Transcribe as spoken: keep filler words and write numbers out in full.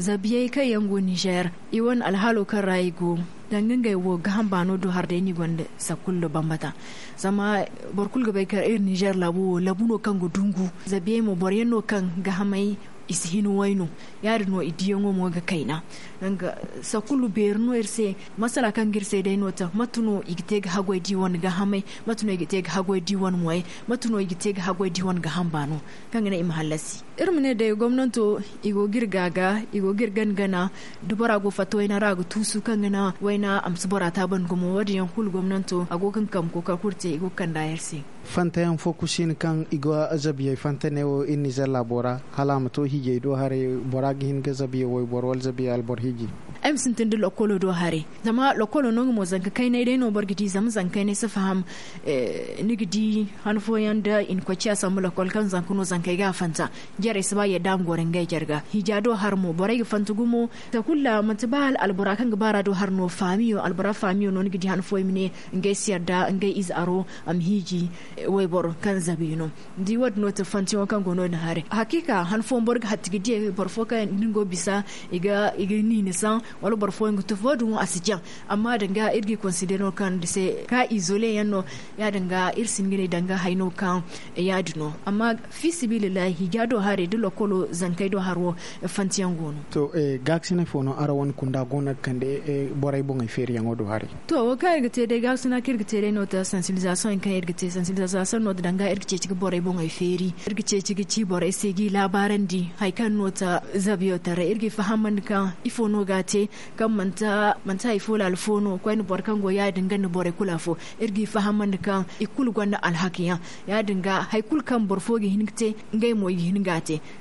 Zabiyey kaŋ yaŋ go ninzeer, i wane alhaalo kaŋ ra i go, danga ngey wo gaaham baano do hari day no i gonda sakkulu nda bambata. Zama boro kulu ga bay kaŋ iri ninzeer laabu wo laabu no kaŋ ga dungu. Zabiyey mo boro yaŋ no kaŋ gaahamey i si hin way no. Ya- din no i diyaŋo mo ga kayna. Danga sakkulu beeri no iri se. Masala kaŋ ga iri se day no ta mate no i ga te ga haggoy da i wane gaahamey? Mate no i ga te ga haggoy da i wane moyey? Mate no i ga te ga haggoy da i wane gaaham baano kaŋ ga naŋ i ma hallasi? Iri ma ne day gomnanto i go ga iri gaaga, i go ga iri gana gana. Da bora go fatta wayna ra a ga tuusu kaŋ ga naŋ wayna a ma si bora taabandi gumo wo- din yaŋ kulu gomnanto a go ga nga kambe kookari kulu te i go ga kand'a iri se. Fantayaŋ fo kusi no kaŋ i go zabiyey fanta ne wo iri ninzeer laabo ra hala a ma to hiijey do haray. Bora ga hin ga zabiyey wayboro wala zabiyey alboro hiiji? Ay ma sintin da lokkolo do haray. Zama lokkolo no nga mo zanka kaynay day no boro ga di zama zanka kaynay si faham. Ni ga di han fooyaŋ da i na koy ciya sambu lokkol kaŋ zanka no zankey ga a fanta. Jarey si ba yadda a ma goro ngey jare ga hiija do hari mo borey ga fanta gumo. Takulu ra manti ba hala albora kaŋ ga baara do hari no faamiyo albora faamiyo no ni ga di han fooyaŋ i ma ne ngey si yadda ngey ize aro a ma hiiji wayboro kaŋ zabi no. Ni di wo- din no ti fantiyaŋo kaŋ go no- din haray hakiika han fooyaŋ boro ga hatti ga diyey boro fo kaŋ ni go bisa i ga ni nisaŋ wala boro fooyaŋ ga tufa wo- din wo a si jaŋ. Amma danga iri ga i konsidere no kaŋ ni di se ka izole yaŋ no. Ya- din ga iri si hin ga ne danga haya no kaŋ ya- din no amma fi sibilillahi hiija do haray da lokkolo zankey do hari wo fantiyaŋ go no. To gaakasinay fo no araŋ wane kunda go no ga kande borey boŋey feeriyaŋo do haray? To wo kaŋ iri ga te day gaakasina kaŋ iri ga te day no ta sansibilizasiyoŋ kaŋ iri ga te sansibilizasiyoŋ no ta danga iri ga ceeci ga borey boŋey feeri iri ga ceeci ga ci borey se g'i laabaarandi hari kaŋ no ta zabiyo taray iri g'i fahamandi kaŋ ifo no ga a te kaŋ manti hari fo laala fo no koyne boro kaŋ go ya- din ga nda borey kulu afo. Iri g'i fahamandi kaŋ i kulu gonda alhakiyaŋ ya- din ga hari kulu kaŋ boro fo ga hin ga te ngey mo i ga hin ga a te.